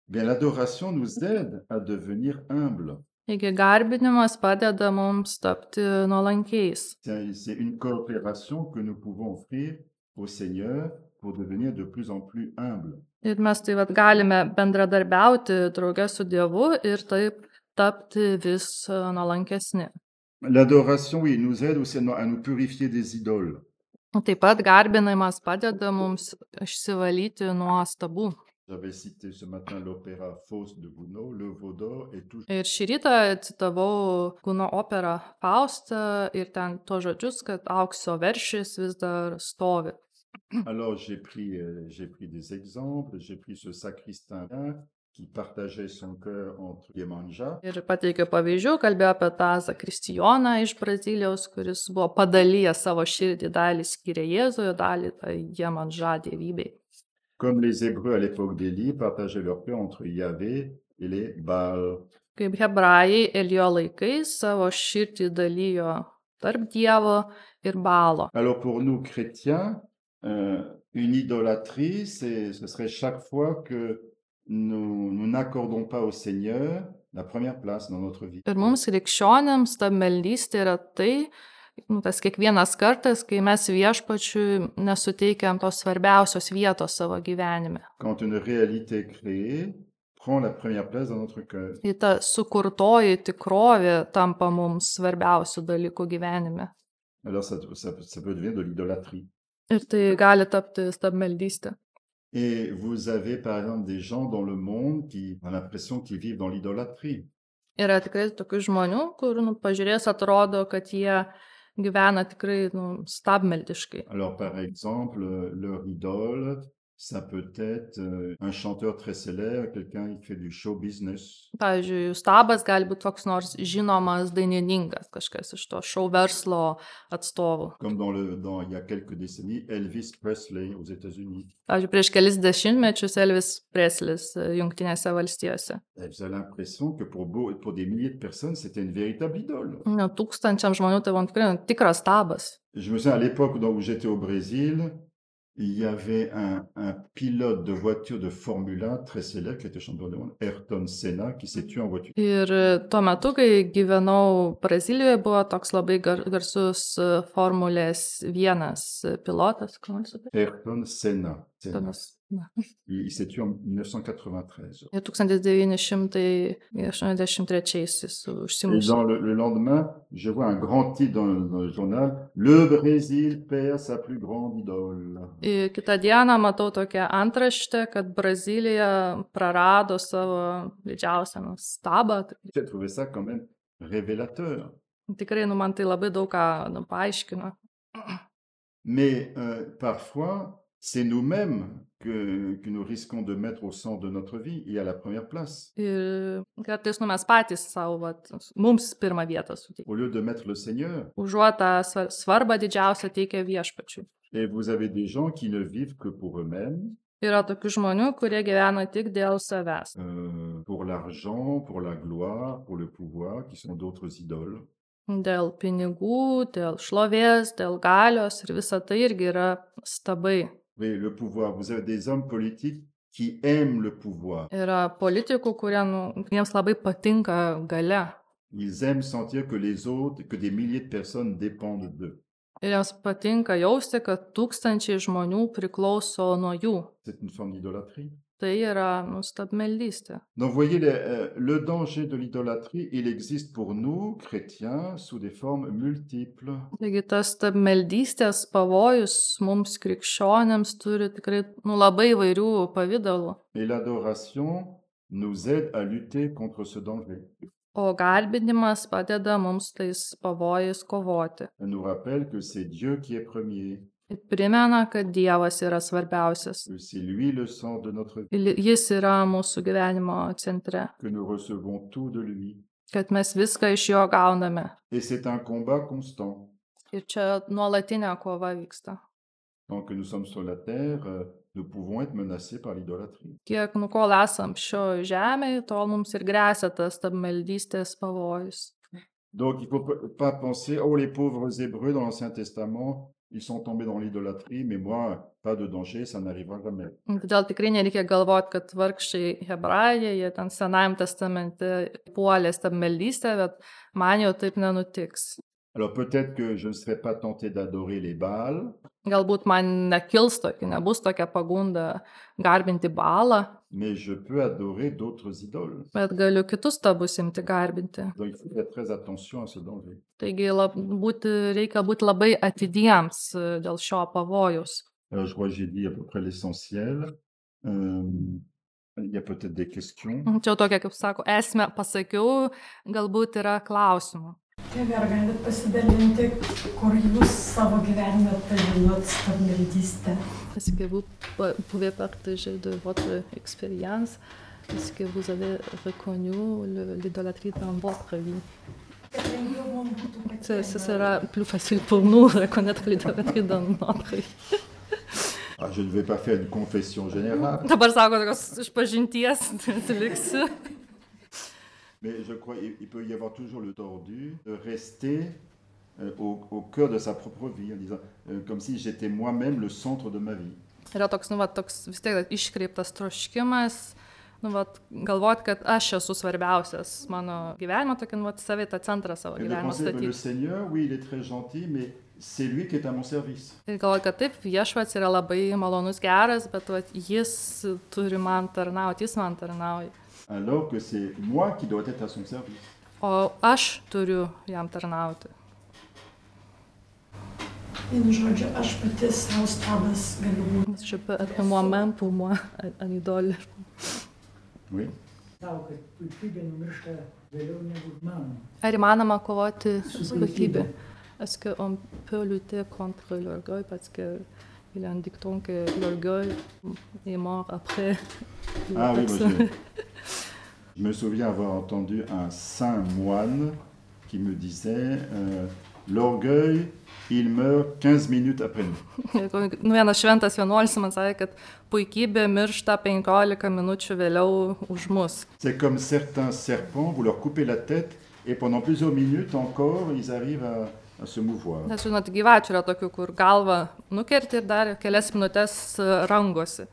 Bien, l'adoration nous aide à devenir humble. Taigi garbinimas padeda mums tapti nuolankiais. C'est une coopération que nous pouvons offrir au Seigneur pour devenir de plus en plus humble. Ir mes tai galime bendradarbiauti drauge su Dievu ir taip tapti vis nuolankesni. L'adoration, oui, nous aide aussi à nous purifier des idoles. Taip pat garbinimas padeda mums išsivalyti nuo stabų. J'avais cité ce matin l'opéra Faust de Gounod, Le Vaudor et tout. Ir šį rytą citavau Guno operą Faustą ir ten to žodžius, kad aukso veršis vis dar stovi. Alors j'ai pris des exemples, j'ai pris ce sacristain qui partageait son cœur entre Iemanjá. Ir pateikiau pavyzdžių, kalbėjau apie tą zakristijoną iš Brazilijos, kuris buvo padalijęs savo širdį, dalį skyrė Jėzui, dalį Iemanjá dievybei. Comme les Hébreux à l'époque d'Élie partageaient leur cœur entre Yahvé et les Baals. Kaip hebrajai Elijo laikais savo širdį dalijo tarp Dievo ir Baalo. Alors pour nous chrétiens, une idolâtrie, ce serait chaque fois que nous n'accordons pas au Seigneur la première place dans notre vie. Ir mums krikščionėms ta meldystė yra tai, tas kiekvienas kartas, kai mes Viešpačiui nesuteikiam tos svarbiausios vietos savo gyvenime. Quand une réalité créée prend la première place dans notre cœur. Ir ta sukurtoji tikrovė tampa mums svarbiausių dalykų gyvenime. Alors ça peut devenir de l'idolâtrie. Ir tai gali tapti stabmeldystė. Et vous avez par exemple des gens dans le monde qui ont l'impression qu'ils vivent dans l'idolâtrie. Yra tikrai tokių žmonių, kur pažiūrės atrodo, kad jie gyvena tikrai stabmeldiškai. Alors par exemple, leur idole, ça peut être un chanteur très célèbre, quelqu'un qui fait du show business. Pavyzdžiui, jų stabas gali būti koks nors žinomas dainininkas, kažkas iš to šou verslo atstovų. Comme il y a quelques décennies, Elvis Presley aux États-Unis. Pavyzdžiui, prieš kelis dešimtmečius Elvis Preslis Jungtinėse valstijose. Vous avez l'impression que pour des milliers de personnes, c'était une véritable idole. Tūkstančiam žmonių tai buvo tikrai tikras stabas. Je me souviens à l'époque où j'étais au Brésil, il y avait un pilote de voiture de Formule 1 très célèbre qui était champion du monde, Ayrton Senna, qui s'est tué en voiture. Ir tuo metu, kai gyvenau Brazilijoje, buvo toks labai garsus Formulės 1 pilotas. Ayrton Senna. Il s'est tué en 1993. Ir 1983 užsimušė. Et dans le lendemain, je vois un grand titre dans le journal, Le Brésil perd sa plus grande idole. Ir kitą dieną matau tokią antraštę, kad Brazilija prarado savo didžiausią stabą. J'ai trouvé ça quand même révélateur. Tikrai, man tai labai daug ką paaiškino. Mais parfois, c'est nous-mêmes que nous risquons de mettre au centre de notre vie et à la première place. Ir kartais mes patys savo, mums pirmą vietą suteikti. Au lieu de mettre le Seigneur. Užuot tą svarbą didžiausią teikia Viešpačiui. Et vous avez des gens qui ne vivent que pour eux-mêmes. Yra tokių žmonių, kurie gyvena tik dėl savęs. Pour l'argent, pour la gloire, pour le pouvoir, qui sont d'autres idoles. Dėl pinigų, dėl šlovės, dėl galios ir visa tai irgi yra stabai. Oui, le pouvoir. Vous avez des hommes politiques qui aiment le pouvoir. Yra politikų, kuriems labai patinka galia. Ils aiment sentir que les autres, que des milliers de personnes dépendent d'eux. Ir jiems patinka jausti, kad tūkstančiai žmonių priklauso nuo jų. C'est une forme d'idolâtrie. Tai yra stabmeldystė. Donc, vous voyez, le danger de l'idolâtrie, il existe pour nous, chrétiens, sous des formes multiples. Taigi tas stabmeldystės pavojus mums krikščionėms turi tikrai labai įvairių pavydalų. Et l'adoration nous aide à lutter contre ce danger. O garbinimas padeda mums tais pavojais kovoti. Elle nous rappelle que c'est Dieu qui est premier, Ir primena, kad Dievas yra svarbiausias. que c'est lui le centre de notre vie, Ir jis yra mūsų gyvenimo centre. que nous recevons tout de lui. Kad mes viską iš jo gauname. Et c'est un combat constant. Ir čia nuolatinė kova vyksta. Tant que nous sommes sur la terre, nous pouvons être menacés par l'idolâtrie. Kiek kol esam šio žemėje, tol mums ir grėsia tas stabmeldystės pavojus. Donc il ne faut pas penser, oh les pauvres Hébreux dans l'Ancien Testament, ils sont tombés dans l'idolâtrie, mais moi, pas de danger, ça n'arrivera jamais. Todėl tikrai nereikia galvoti, kad vargšai hebrajai, jie ten Senajam testamente puolė stabmeldystę, bet man jau taip nenutiks. Alors peut-être que je ne serai pas tenté d'adorer les Baals, Galbūt man nebus tokia pagunda garbinti Baalą, mais je peux adorer d'autres idoles. bet galiu kitus stabus imti garbinti. Donc il faut faire très attention à ce danger. Taigi reikia būti labai atidiems dėl šio pavojaus. Alors je crois que j'ai dit à peu près l'essentiel. Il y a peut-être des questions. Čia jau tokia, kaip sako, esmę pasakiau, galbūt yra klausimų. Tėve, ar galit pasidalinti, kur jūs savo gyvenime pažinot stabmeldystę? Est-ce que vous pouvez partager de votre expérience? Est-ce que vous avez reconnu l'idolâtrie dans votre vie? Ce sera plus facile pour nous de reconnaître l'idolâtrie dans notre vie. Ah, je ne vais pas faire une confession générale. Dabar sako, tokios išpažinties liksiu. Mais je crois qu'il peut y avoir toujours le tordu de rester au cœur de sa propre vie, en disant, comme si j'étais moi-même le centre de ma vie. Yra toks vis tiek iškreiptas troškimas, galvoti, kad aš esu svarbiausias mano gyvenimo, tokį savitą centrą savo Et de gyvenimo penser que le statyti. Seigneur, oui, il est très gentil, mais c'est lui qui est à mon service. Ir galvoju, kad taip, Viešpats yra labai malonus, geras, bet jis turi man tarnauti, jis man tarnauja. Alors que c'est moi qui dois être à son service. O aš turiu jam tarnauti. Vienu žodžiu, aš pati savo stabas galiu būti. Je peux être moi-même pour moi, un idole. Oui. Tau, kad puikybė numiršta vėliau negu manoma. Ar įmanoma kovoti su puikybė? Est-ce qu'on peut lutter contre l'orgueil parce qu'il y a un dicton que l'orgueil est mort après la Ah oui, personne. je me souviens avoir entendu un saint moine qui me disait l'orgueil, il meurt 15 minutes après nous. Vienas šventas vienuolis man sakė, kad puikybė miršta 15 minučių vėliau už mus. C'est comme certains serpents, vous leur coupez la tête et pendant plusieurs minutes encore, ils arrivent à se mouvoir. Nes žinot, gyvačių yra tokių, kur galva nukerti ir dar kelias minutės rangosi.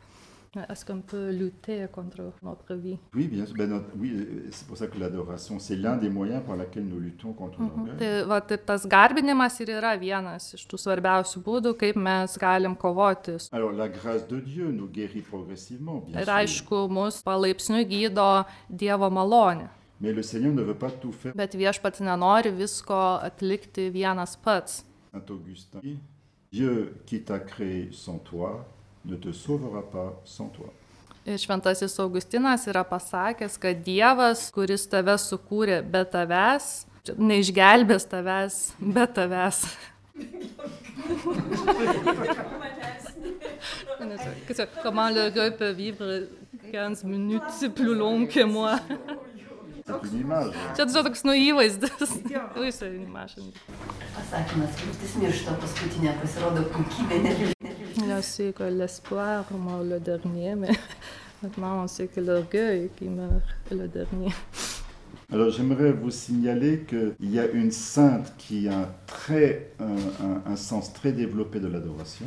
Est-ce qu'on peut lutter contre notre vie? Oui, bien sûr. Oui, c'est pour ça que l'adoration, c'est l'un des moyens par lesquels nous luttons contre l'orgueil. Tai tas garbinimas ir yra vienas iš tų svarbiausių būdų, kaip mes galim kovoti. Alors, la grâce de Dieu nous guérit progressivement, bien Ir sûr. aišku, mus palaipsniui gydo Dievo malonė. Mais le Seigneur ne veut pas tout faire. Bet Viešpats nenori visko atlikti vienas pats. Saint Augustin dit, Dieu qui t'a créé sans toi ne te sauvera pas sans toi. Ir šventasis Augustinas yra pasakęs, kad Dievas, kuris tave sukūrė be tavęs, neišgelbės tavęs be tavęs. Comment l'orgueil peut vivre 15 minutes, c'est plus long que moi. C'est une image. Čia toks įvaizdis. Pasakymas, viltis miršta paskutinė, pasirodo puikybė neviltis. Là, c'est que l'espoir meurt le dernier, mais maintenant, c'est que l'orgueil qui meurt le dernier. Alors j'aimerais vous signaler qu'il y a une sainte qui a un sens très développé de l'adoration,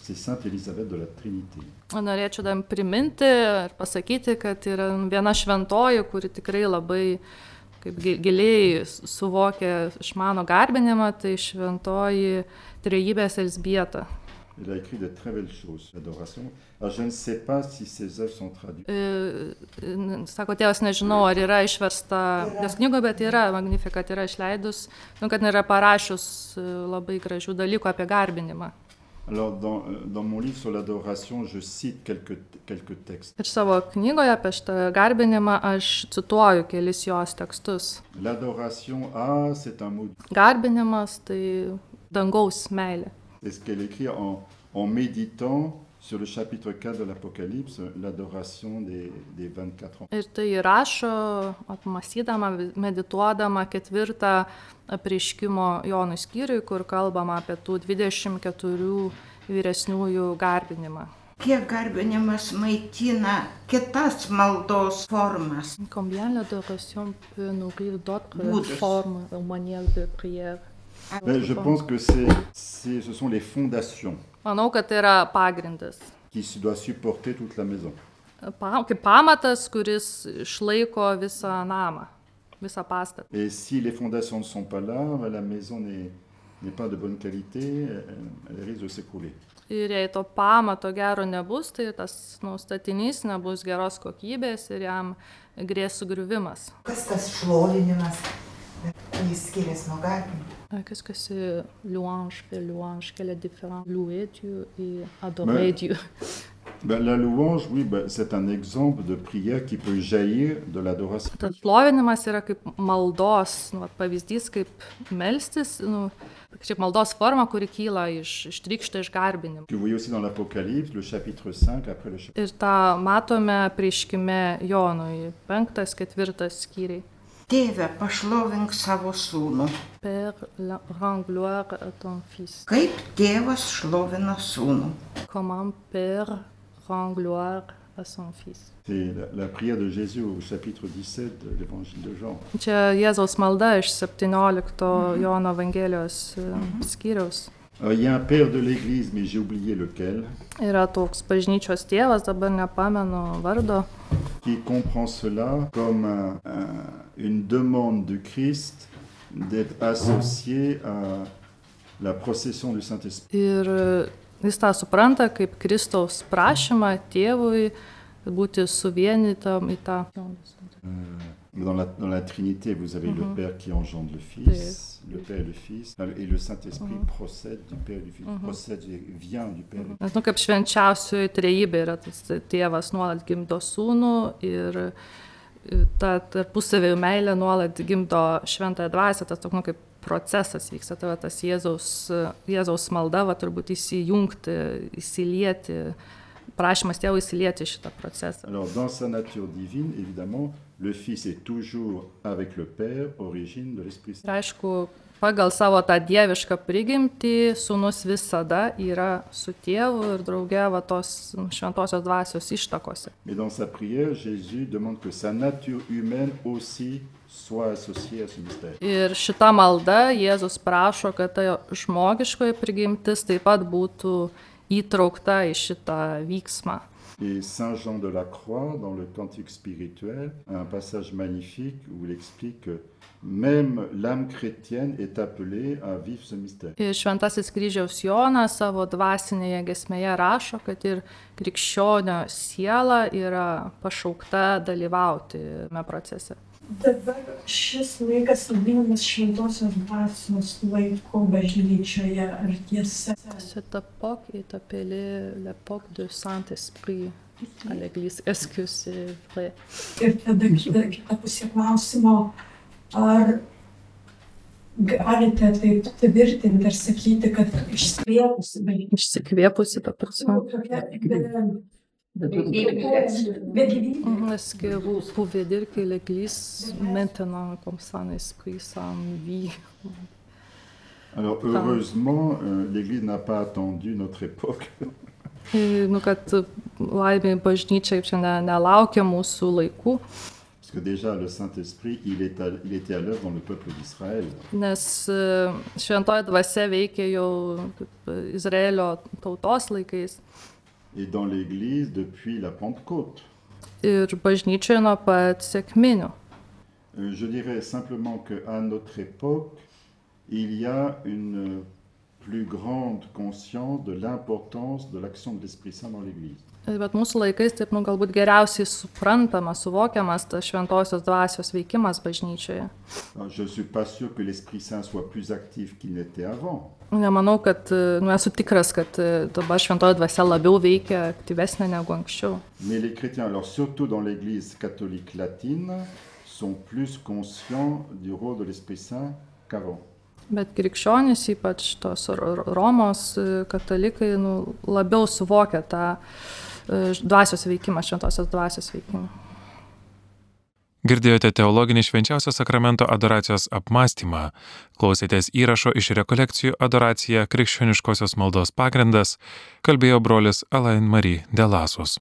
c'est Sainte Élisabeth de la Trinité. Norėčiau dar priminti ir pasakyti, kad yra viena šventoji, kuri tikrai labai giliai suvokia išmano garbinimą, tai šventoji Trejybės Elzbieta. Il a écrit de très belles choses, l'adoration. Alors je ne sais pas si ces œuvres sont traduites. Sako, tėvas, nežinau, ar yra išversta jos knygo, bet yra, Magnificat yra išleidus, kad yra parašius labai gražių dalykų apie garbinimą. Alors, dans mon livre sur l'adoration, je cite quelques textes. Ir savo knygoje apie šitą garbinimą aš cituoju kelis jos tekstus. L'adoration, c'est un mot. Garbinimas tai dangaus meilė. C'est ce qu'elle écrit en méditant sur le chapitre 4 de l'Apocalypse, l'adoration des 24 ans. Ir tai rašo, apmąstydama, medituodama 4 apreiškimo Jonui skyriui, kur kalbama apie tų 24 vyresniųjų garbinimą. Kiek garbinimas maitina kitas maldos formas. Combien l'adoration peut nourrir d'autres Būdus. formes ou manières de prière? Mais je pense que ce sont les fondations Manau, kad tai yra pagrindas. qui doivent supporter toute la maison. Kaip pamatas, kuris išlaiko visą namą, visą pastatą. Et si les fondations ne sont pas là, la maison n'est pas de bonne qualité, elle risque de s'écrouler. Ir jei to pamato gero nebus, tai tas statinys nebus geros kokybės ir jam grės sugriuvimas. Kas tas šlovinimas, jis skiriasi nuo garbinimo? Qu'est-ce que c'est louange, fait louange, quelle est la différence? Louer Dieu et adorer Dieu. La louange, oui, c'est un exemple de prière qui peut jaillir de l'adoration. Tas šlovinimas yra kaip maldos, pavyzdys, kaip melstis, kaip maldos forma, kuri kyla ištrykšta iš garbinimo. Que vous voyez aussi dans l'Apocalypse, le chapitre 5, après le chapitre. Ir tą matome prieškime Jonui, 5-4 skyriai. Tėve, pašlovink savo sūnų. Père, rends gloire à ton fils. Kaip tėvas šlovina sūnų. Comment Père rend gloire à son fils. C'est la prière de Jésus au chapitre 17 de l'évangile de Jean. Čia Jėzaus malda iš 17 Jono Evangelijos skyriaus. Alors, il y a un père de l'Église, mais j'ai oublié lequel, Yra toks bažnyčios tėvas, dabar nepamenu vardo, qui comprend cela comme une demande du Christ d'être associé à la procession du Saint-Esprit. ir jis tą supranta kaip Kristaus prašymą tėvui būti suvienytam į tą. Dans la Trinité, vous avez le Père qui engendre le Fils, le Père et le Fils, et le Saint-Esprit procède du Père et du Fils, procède et vient du Père. Nes, kaip švenčiausioji trejybė yra tas tėvas nuolat gimdo sūnų ir ta tarpusavio meilė nuolat gimdo šventąją dvasią, tas toks kaip procesas vyksta, tai tas Jėzaus malda, turbūt įsijungti, įsilieti, prašymas tėvui įsilieti šitą procesą. Alors, dans sa nature divine, évidemment, le Fils est toujours avec le Père, origine de l'Esprit Saint. Ir aišku, pagal savo tą dievišką prigimtį, sūnus visada yra su tėvu ir drauge tos šventosios dvasios ištakose. Mais dans sa prière, Jésus demande que sa nature humaine aussi soit associée à ce mystère. Ir šita malda Jėzus prašo, kad ta žmogiškoji prigimtis taip pat būtų įtraukta į šitą vyksmą. Et Saint Jean de la Croix, dans le Cantique spirituel, a un passage magnifique où il explique que même l'âme chrétienne est appelée à vivre ce mystère. Ir Šventasis Kryžiaus Jonas savo dvasinėje giesmėje rašo, kad ir krikščionio siela yra pašaukta dalyvauti šiame procese. Dabar šis laikas vadinamas šventosios dvasios laiku bažnyčioje, ar tiesa? Cette époque est appelée l'époque du Saint-Esprit à l'Église. Est-ce que c'est vrai? Ir tada kita pusė klausimo, ar galite taip tvirtinti ir sakyti, kad išsikvėpusi bažnyčia? Išsikvėpusi, ta prasme. Est-ce que vous pouvez dire que l'Église, maintenant, comme Saint-Esprit, s'en vit? Alors, heureusement, l'Église n'a pas attendu notre époque. Kad laimė bažnyčia čia nelaukia mūsų laikų. Parce que déjà, le Saint-Esprit, il était à l'œuvre dans le peuple d'Israël. Nes šventoji dvasia veikia jau Izraelio tautos laikais. Et dans l'Église depuis la Pentecôte. Ir bažnyčioje nuo pat sekminių. Je dirais simplement qu'à notre époque, il y a une plus grande conscience de l'importance de l'action de l'Esprit Saint dans l'Église. Bet mūsų laikais taip, galbūt geriausiai suprantamas, suvokiamas tas šventosios dvasios veikimas bažnyčioje. Je ne suis pas sûr que l'Esprit Saint soit plus actif qu'il n'était avant. Nemanau, kad, esu tikras, kad dabar šventoji dvasia labiau veikia, aktyvesnė negu anksčiau. Mais les chrétiens, alors surtout dans l'Église catholique latine, sont plus conscients du rôle de l'Esprit Saint qu'avant. Bet krikščionys, ypač tos Romos katalikai, labiau suvokia tą dvasios veikimą, šventosios dvasios veikimą. Girdėjote teologinį švenčiausio sakramento adoracijos apmąstymą. Klausėtės įrašo iš rekolekcijų Adoracija krikščioniškosios maldos pagrindas, kalbėjo brolis Alain Marie de Lassus.